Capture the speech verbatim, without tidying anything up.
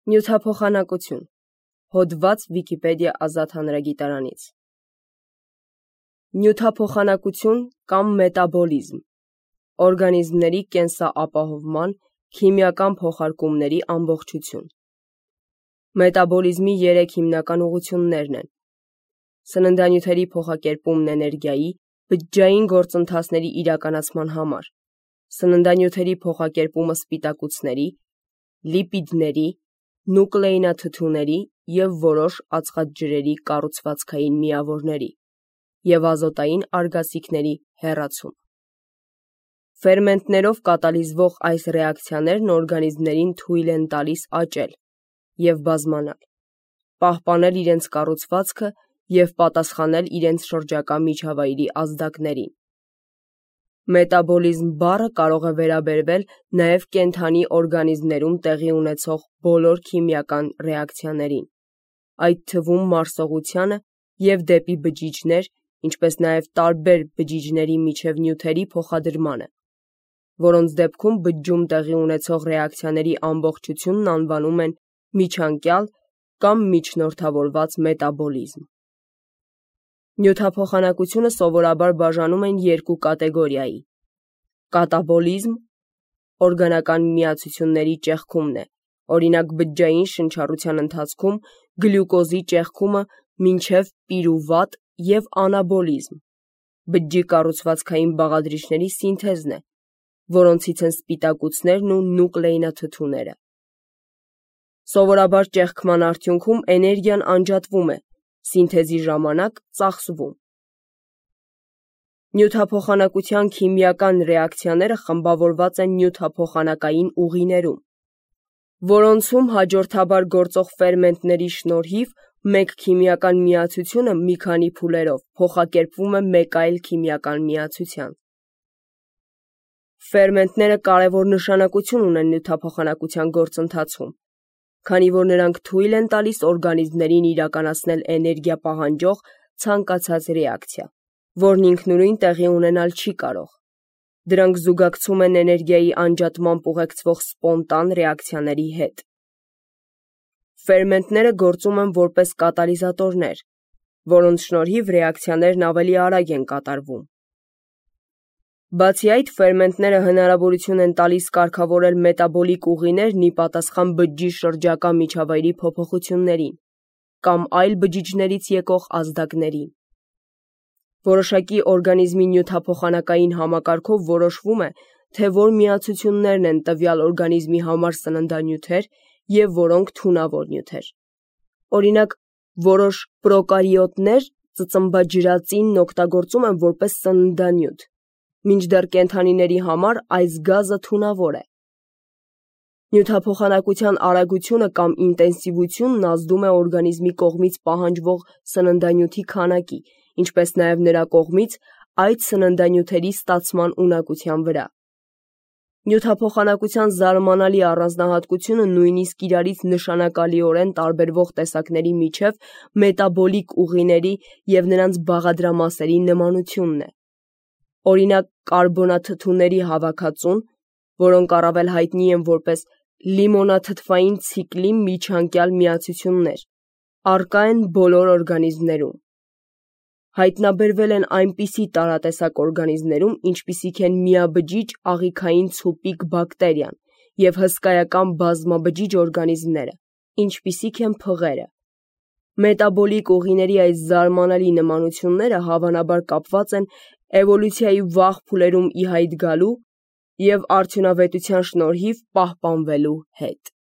Նյութափոխանակություն։ Հոդված Վիկիպեդիա ազատ հանրագիտարանից։ Նյութափոխանակություն կամ մետաբոլիզմ։ Օրգանիզմների կենսաապահովման քիմիական փոխարկումների ամբողջություն։ Մետաբոլիզմի երեք հիմնական ուղղություններն են. սննդանյութերի փոխակերպումն էներգիայի, բջջային գործընթացների իրականացման համար, սննդանյութերի փոխակերպումը սպիտակուցների, լիպիդների, նուկլեինաթթուների և որոշ ածխաջրերի կառուցվածքային միավորների և ազոտային արգասիքների հեռացում։ Ֆերմենտներով կատալիզվող այս ռեակցիաներն օրգանիզմներին թույլ են տալիս աճել և բազմանալ, պահպանել իրենց կառուցվածքը և պատասխանել իրենց շրջակա միջավայրի ազդակներին։ Մետաբոլիզմ բառը կարող է վերաբերվել նաև կենդանի օրգանիզմներում տեղի ունեցող բոլոր քիմիական ռեակցիաներին, այդ թվում մարսողությանը և դեպի բջիջներ, ինչպես նաև տարբեր բջիջների միջև նյութերի փոխադրմանը, որոնց դեպքում բջջում տեղի ունեցող ռեակցիաների ամբողջությունն անվանում են միջանկյալ կամ միջնորդավորված մետաբոլիզմ։ Նյութափոխանակությունը սովորաբար բաժանում են երկու կատեգորիայի. կատաբոլիզմ օրգանական միացությունների ճեղքումն է, օրինակ բջջային շնչառության ընթացքում գլյուկոզի ճեղքումը մինչև պիրուվատ և անաբոլիզմ բջջի կառուցվածքային բաղադրիչների սինթեզն է, որոնցից են սպիտակուցներն ու նուկլեինաթթուները։ Սովորաբար ճեղքման արդյունքում էներգիան անջատվում է, սինթեզի ժամանակ ծախսվում։ Նյութափոխանակության քիմիական ռեակցիաները խմբավորված են նյութափոխանակային ուղիներում, որոնցում հաջորդաբար գործող ֆերմենտների շնորհիվ մեկ քիմիական միացությունը մի քանի փուլերով փոխակերպվում է մեկ այլ քիմիական միացության։ Ֆերմենտները կարևոր նշանակություն ունեն նյութափոխանակության գործընթացում, քանի որ նրանք թույլ են տալիս օրգանիզմներին իրականացնել էներգիա պահանջող ցանկացած ռեակցիա, որն ինքնուրույն տեղի ունենալ չի կարող։ Դրանք զուգակցում են էներգիայի անջատմամբ ուղեկցվող սպոնտան ռեակցիաների հետ։ Ֆերմենտները գործում են որպես կատալիզատորներ, որոնց շնորհիվ ռեակցիաներն ավելի արագ են կատարվում։ Բացի այդ, ֆերմենտները հնարավորություն են տալիս կարգավորել մետաբոլիկ ուղիներն ի պատասխան բջջի շրջակա միջավայրի փոփոխություններին կամ այլ բջիջներից եկող ազդակներին։ Որոշակի օրգանիզմի նյութափոխանակային համակարգով որոշվում է, թե որ միացություններն են տվյալ օրգանիզմի համար սննդանյութեր և որոնք թունավոր նյութեր։ Օրինակ, որոշ պրոկարիոտներ ծծմբաջրածինն օգտագործում են որպես սննդանյութ, մինչդեռ կենդանիների համար այս գազը թունավոր է։ Նյութափոխանակության արագությունը կամ ինտենսիվությունն ազդում է օրգանիզմի կողմից պահանջվող սննդանյութի քանակի, ինչպես նաև նրա կողմից այդ սննդանյութերի ստացման ունակության վրա։ Նյութափոխանակության զարմանալի առանձնահատկությունը նույնիսկ իրարից նշանակալիորեն տարբերվող տեսակների միջև մետաբոլիկ ուղիների և նրանց բաղադրամասերի նմանությունն է։ Օրինակ, կարբոնաթթուների հավաքածուն, որոնք առավել հայտնի են որպես լիմոնաթթվային ցիկլի միջանկյալ միացություններ, առկա են բոլոր օրգանիզմներում։ Հայտնաբերվել են այնպիսի տարատեսակ օրգանիզմներում, ինչպիսիք են միաբջիջ աղիքային ցուպիկ բակտերիան և հսկայական բազմաբջիջ օրգանիզմները, ինչպիսիք են փղերը։ Մետաբոլիկ ուղիների այս զարմանալի նմանությունները հավանաբար կապված են էվոլյուցիայի վաղ փուլերում ի հայտ գալու և արդյունավետության շնորհիվ պահպանվելու հետ։